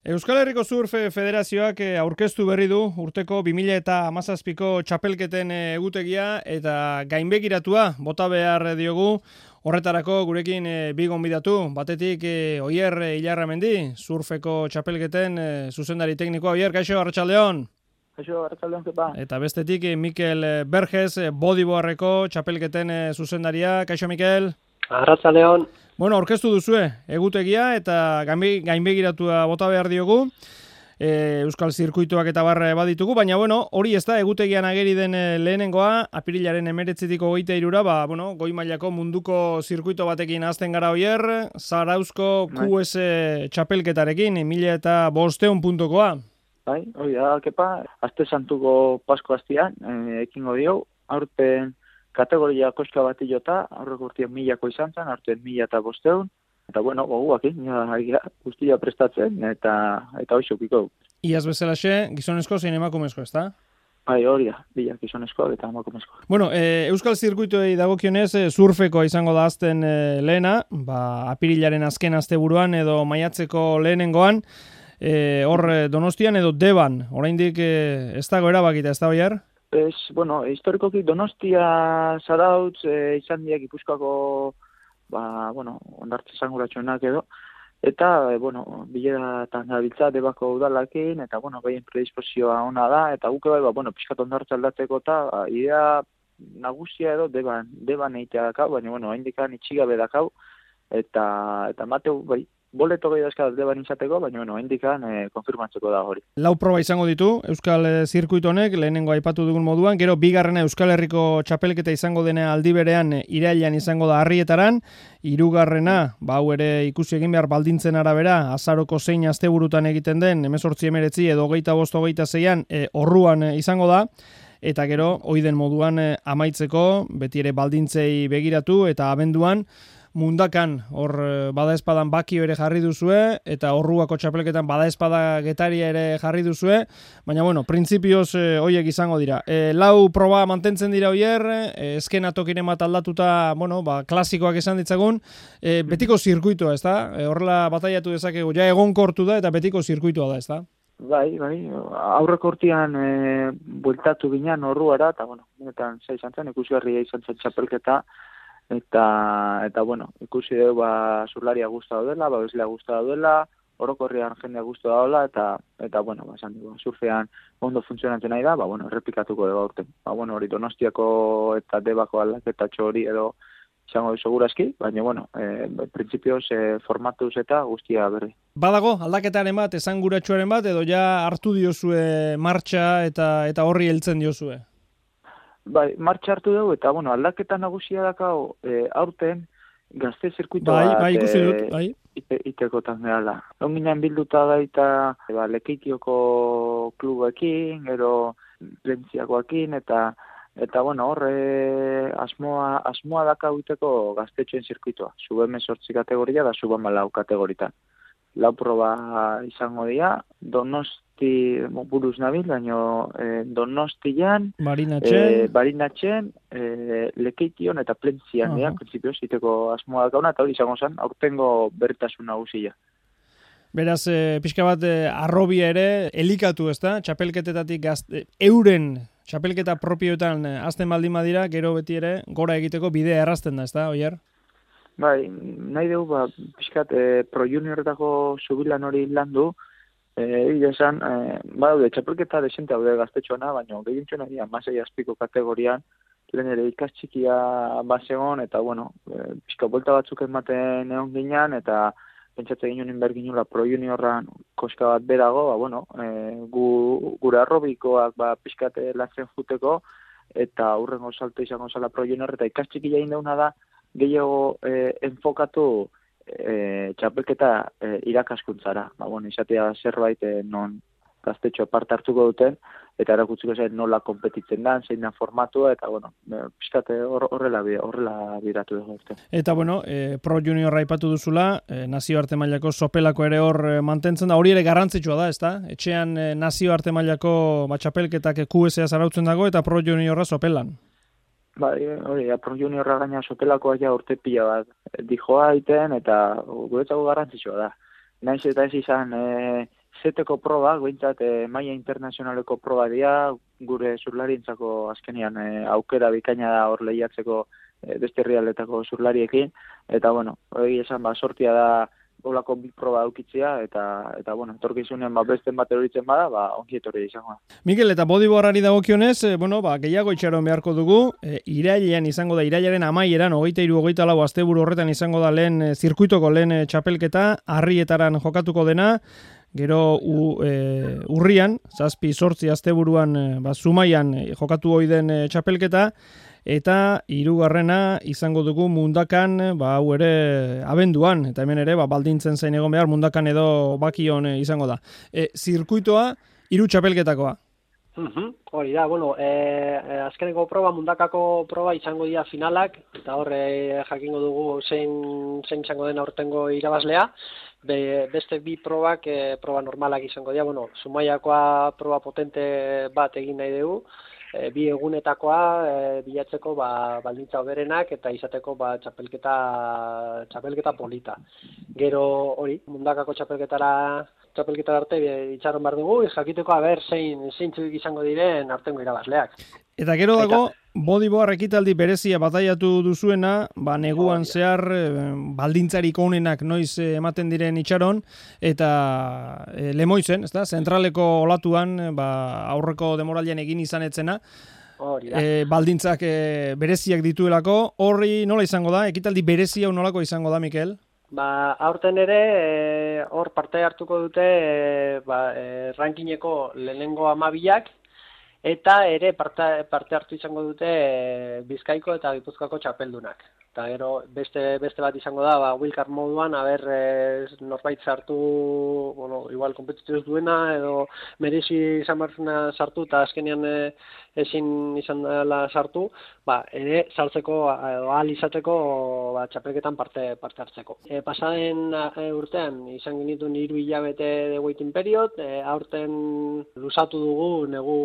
Euskal Herriko Surf Federazioak aurkeztu berri du urteko 2017ko txapelketen egutegia eta gainbegiratua bota behar diogu. Horretarako gurekin bi gonbidatu. Batetik Oier Ilarramendi, surfeko txapelketen zuzendari teknikoa. Oier, kaixo, arratsaldeon. Kaixo, arratsaldeon, zepa. Eta bestetik Mikel Berges, bodyboardeko txapelketen zuzendaria. Kaixo, Mikel. Arratsaldeon. Bueno, aurkeztu duzue egutegia eta gainbegiratua bota behar diogu. Euskal zirkuituak eta barra baditugu, baina hori ez da egutegian ageri den lehenengoa, apirilaren 19-tik 23, goi mailako munduko zirkuito batekin hasten gara Oier, Zarauzko QS txapelketarekin, 1500 puntokoa. Bai, hori da, kepa, aste santuko Pasko hastian, ekingo dio, aurten kategoria koska bat jota, aurreko urtean 1000ko izan zen, aurten 1500, eta goguakin, guztia prestatzen, eta hoxokiko. Iaz bezalaxe, gizonezko zein emakumezko, ez da? Bai, hori da, bila gizonezko eta emakumezko. Euskal zirkuituei dagokionez, surfeko izango da azten lehena, apirilaren azken asteburuan edo maiatzeko lehenengoan, hor Donostian edo Deban, oraindik ez dago erabakita, ez da Oier? Historikoki Donostia, Zarautz, izan diak Gipuzkoako, ondartze esanguratxoenak edo, eta, bileratan gabiltza Debako udalakin, eta, behien predispozioa ona da, eta guke pixkat ondartze aldatzeko eta, idea nagusia edo Deban eitea dakau, baina, haindikan itxigabe dakau, eta mateu, boleto gehi dazkadaz Deban izateko, baina, haindikan konfirmatzeko da hori. Lau proba izango ditu Euskal zirkuito honek, lehenengo aipatu dugun moduan, gero bigarrena Euskal Herriko txapelketa izango dena aldi berean irailean izango da Arrietaran, hirugarrena, hau ere ikusi egin behar baldintzen arabera, azaroko zein asteburutan egiten den, 18-19 edo 25-26an orruan izango da, eta gero, oiden moduan amaitzeko, beti ere baldintzei begiratu, eta abenduan, Mundakan, hor badaezpadan bakio ere jarri duzue, eta orruako txapelketan badaezpada getaria ere jarri duzue, baina printzipioz hoiek izango dira. Lau proba mantentzen dira Oier, eskena tokiren bat aldatuta, klasikoak esan ditzagun, betiko zirkuitoa, ez da? Horrela bataiatu dezakegu, ja egonkortu da, eta betiko zirkuitoa da, ez da? Bai, aurreko urtean bueltatu ginen orruara, eta benetan izan zen, ikusgarria izan zen txapelketa, eta ikusi dugu zurlaria guztua daudela, babeslea guztua daudela, orokorrian jendea guztua daudela, eta esan dugu, surfean ondo funtzionatzen nahi da, errepikatuko dugu aurten. Hori Donostiako eta Debako aldaketatxo hori edo izango du segurazki, baina, printzipioz formatuz eta guztia berri. Badago, aldaketaren bat, esanguratsuaren bat, edo ja hartu diozue martxa eta horri heltzen diozue? Bai, martxa hartu dugu, eta aldaketa nagusia dakau aurten gazte zirkuito bat ikusi dut, bai. Itekotan gehala. Onginan bilduta gaita Lekeitioko klubekin, gero Plentziakoakin, eta horre asmoa dakau iteko gaztetxoen zirkuitoa. Sub-18 kategoria da sub-14 kategoritan. Lau proba izango dira, Donosti buruz nabil, baina Donostian, Barinatxen, Lekeition eta Plentzian, prinsipioz, iteko asmoa dakauna, eta hori izango zen, aurtengo bertasun nagusia. Beraz, pixka bat arrobia ere, elikatu ez da, txapelketetatik euren txapelketa propioetan azten baldin badira, gero beti ere, gora egiteko bidea errazten da, ez da, Oier? Bai, nahi dugu, pixkat Pro Junioretako zubilan hori landu, esan, txapelketa desente haude gaztetxoana, baina gehientxoena dira, masei azpiko kategorian, lehen ere ikastxikia basegon, eta, pixka bolta batzuk ematen egon ginean, eta pentsatze ginen berginula Pro Juniorran koska bat berago, gure arrobikoak pixkat latzen juteko, eta hurrengo salto izango zala Pro Junior, eta ikastxikia egin dauna da, gehiago enfokatu txapelketa irakaskuntzara. Izatea zerbait non gaztetxo parte hartuko duten, eta erakutziko zen nola konpetitzen da, zein da formatua, eta pixkate horrela biratu dugu. Eta Pro Junior aipatu duzula, nazioarte mailako sopelako ere hor mantentzen da, hori ere garrantzitsua da, ezta? Etxean nazioarte mailako txapelketak QS-a zarautzen dago, eta Pro Juniorra sopelan. Bai, hori, Pro Juniorra gaina sopelakoa ja urte pila bat dijoa iten, eta guretzako garrantzitsua da. Naiz eta ez izan zeteko proba, gointzat maila internazionaleko proba dira, gure zurlarientzako azkenian aukera bikaina da hor lehiatzeko beste herrialdetako zurlariekin, eta bueno, hori esan sortia da olako bi proba aukitzea, eta bueno, etorkizunean besten bat eroritzen bada, ongi etorri izango da. Mikel, eta bodyboardari dagokionez, gehiago itxaron beharko dugu, irailean izango da, irailaren amaieran, 23-24 asteburu horretan izango da lehen zirkuitoko lehen txapelketa, Harrietaran jokatuko dena, gero urrian, 7-8 asteburuan Zumaian jokatu ohi den txapelketa, eta 3. izango dugu Mundakan, hau ere abenduan, eta hemen ere baldintzen zain egon behar, Mundakan edo Bakion izango da. Zirkuitoa, 3 txapelketakoa. Hori da, azkeneko proba, Mundakako proba izango dira finalak, eta horre jakingo dugu zein izango den aurtengo irabazlea. Beste bi probak, proba normalak izango dira, Zumaiakoa proba potente bat egin nahi dugu, bi egunetakoa bilatzeko baldintza hoberenak eta izateko txapelketa polita. Gero hori, Mundakako txapelketara arte itxaron behar dugu, jakiteko zeintzuk izango diren aurtengo irabazleak. Eta gero dago, bodyboard ekitaldi berezia bataiatu duzuena, neguan zehar baldintzarik onenak noiz ematen diren itxaron, eta Lemoizen, ezta? Zentraleko olatuan, aurreko demoralian egin izan etzena, baldintzak bereziak dituelako, horri nola izango da? Ekitaldi berezia nolako izango da, Mikel? Aurten ere, hor parte hartuko dute rankingeko lehenengo 12ak, eta ere parte hartu izango dute Bizkaiko eta Gipuzkoako txapeldunak. Eta gero beste bat izango da, wildcard moduan, norbait sartu, igual kompetituz duena, edo merezi izan barzuna sartu, eta azkenean ezin izan dela sartu, ere sartzeko, ahal izateko txapelketan parte hartzeko. Pasaden urtean izan genituen 3 hilabete de waiting period, aurten luzatu dugu negu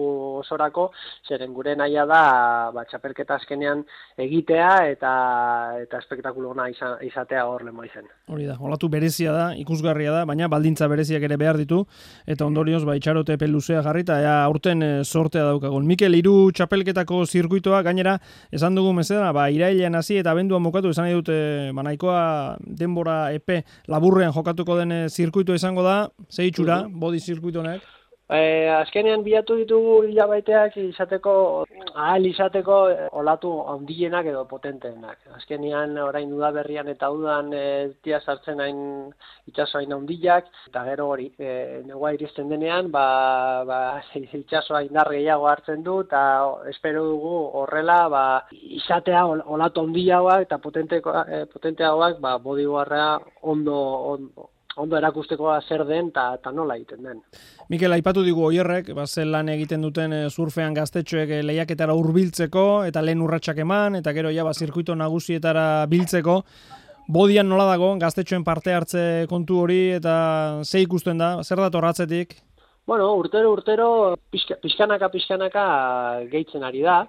osorako, zeren gure nahia da txapelketa azkenean egitea eta espektakulo ona izatea hor Lemoizen. Hori da, olatu berezia da, ikusgarria da, baina baldintza bereziak ere behar ditu, eta ondorioz itxarote luzea jarri, eta aurten sortea daukagun. Mikel, 3 txapelketako zirkuitoa, gainera, esan dugu mezera, irailean hasi eta abenduan bukatu, esan nahi dute, nahikoa denbora epe laburrean jokatuko den zirkuitoa izango da, ze itxura, body zirkuitonek? Azkenean bilatu ditugu hilabaiteak ahal izateko olatu handienak edo potenteenak. Azkenean orain udaberrian eta udan tia sartzen itxaso hain handiak, eta gero hori, negua iristen denean, itxasoa indar gehiago hartzen du, eta espero dugu horrela izatea olatu handiagoak eta potenteagoak bodyboarda ondo erakusteko zer den eta nola egiten den. Mikel, aipatu digu Oierrek, zen lan egiten duten surfean gaztetxoek lehiaketara hurbiltzeko eta lehen urratsak eman, eta gero zirkuito nagusietara biltzeko. Bodian nola dago, gaztetxoen parte hartze kontu hori, eta ze ikusten da, zer dator atzetik? Urtero pixkanaka gehitzen ari da.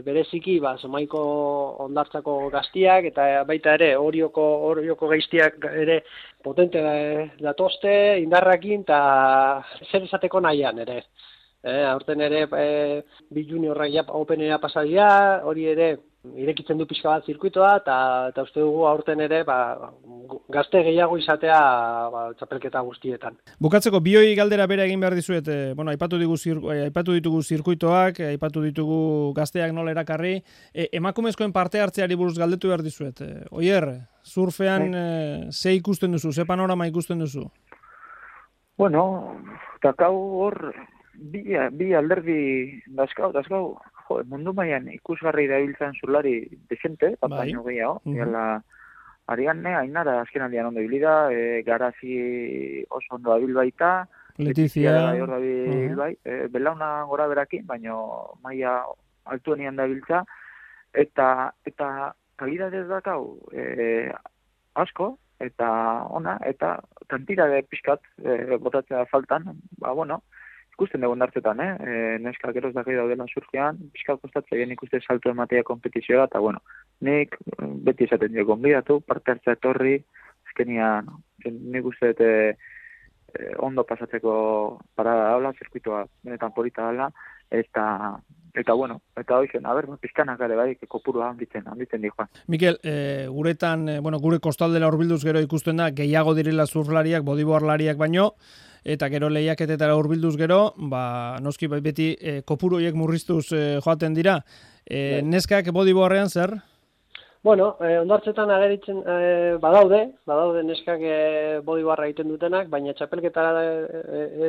Bereziki, Zumaiko hondartzako gaztiak, eta baita ere, Orioko gaiztiak ere potente datozte, indarrakin, eta zer esateko nahian ere. Aurten ere, bi juniorrak openera pasadia, hori ere, irekitzen du pixka bat zirkuitoa, eta uste dugu aurten ere gazte gehiago izatea txapelketa guztietan. Bukatzeko, bioi galdera bera egin behar dizuet, aipatu ditugu zirkuitoak, aipatu ditugu gazteak nola erakarri, emakumezkoen parte hartzeari buruz galdetu behar dizuet. Oier, surfean ze ikusten duzu, ze panorama ikusten duzu? Takau hor, bi alderdi dazkau, mundu mailan ikusgarri dabiltzan zurlari desente, baino gehiago, Arianne, Ainara, azken aldean ondo ibilida, Garazi oso ondo dabil baita, Letizia, belauna gora berakin, baino maila altuenian dabiltza, eta kalidadez dakau asko, eta ona, eta kantira de pixkat botatzea faltan, ikusten dugu nartetan, neska geroz dakei daudela surfean, pixkat kostatzen ikuste salto ematea kompetizioa, eta nik beti esaten dio gonbidatu, parte hartzea etorri, azkenian nik uste ondo pasatzeko parada daula, zirkuitoa benetan polita dela, eta bueno, eta hoizen, pizkanak ere bai, kopurua handitzen dijoan. Mikel, guretan, gure kostaldera hurbilduz gero ikusten da, gehiago direla surflariak, bodyboardlariak baino, eta gero lehiaketetara hurbilduz gero, noski beti kopuru horiek murriztuz joaten dira. Neskak bodyboardean zer? Bueno, ondartzetan ageritzen badaude neskak bodyboarda egiten dutenak, baina txapelketara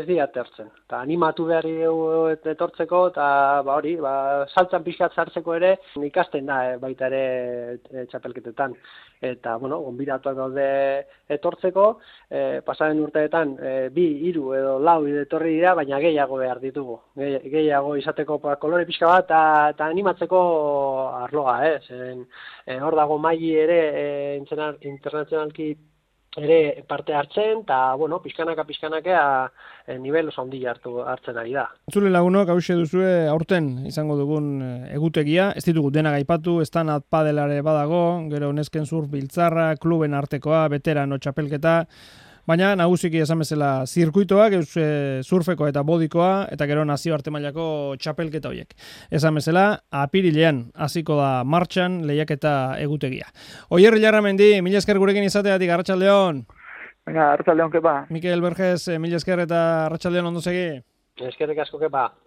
ez dira tertzen. Ta animatu behar etortzeko, eta saltzan pixkat sartzeko ere ikasten da baita ere txapelketetan. Eta, gonbidatuak daude etortzeko, pasaren urteetan 2, 3 edo 4 etorri dira, baina gehiago behar ditugu. Gehiago izateko kolore pixka bat, eta animatzeko arloa, zeren hor dago maili ere internazionalki ere parte hartzen, eta, pixkanaka nivel oso handia hartzen ari da. Zule lagunok, hause duzue aurten izango dugun egutegia, ez ditugu denak aipatu, Stand-up padelare badago, gero nesken surf biltzarra, kluben artekoa, veterano txapelketa, baina nagusiki esan bezala zirkuitoak, surfeko eta bodikoa, eta gero nazioarte mailako txapelketa horiek. Esan bezala, apirilean hasiko da martxan lehiaketa egutegia. Oier Larramendi, mila esker gurekin izateatik, arratsaldeon. Venga, arratsaldeon, kepa. Mikel Berges, mila esker eta arratsaldeon ondo segi. Eskerrik asko, kepa.